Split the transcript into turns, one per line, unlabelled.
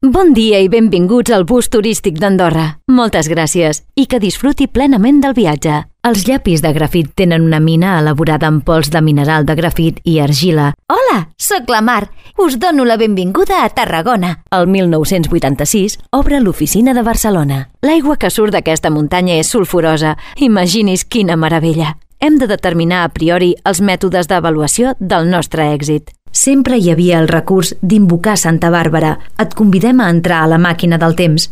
Bon dia i benvinguts al bus turístic d'Andorra. Moltes gràcies i que disfruti plenament del viatge. Els llapis de grafit tenen una mina elaborada amb pols de mineral de grafit i argila.
Hola, sóc la Mar. Us dono la benvinguda a Tarragona.
El 1986 obre l'oficina de Barcelona. L'aigua que surt d'aquesta muntanya és sulfurosa. Imagini's quina meravella. Hem de determinar a priori els mètodes d'avaluació del nostre èxit. Sempre hi havia el recurs d'invocar Santa Bàrbara. Et convidem a entrar a la màquina del temps.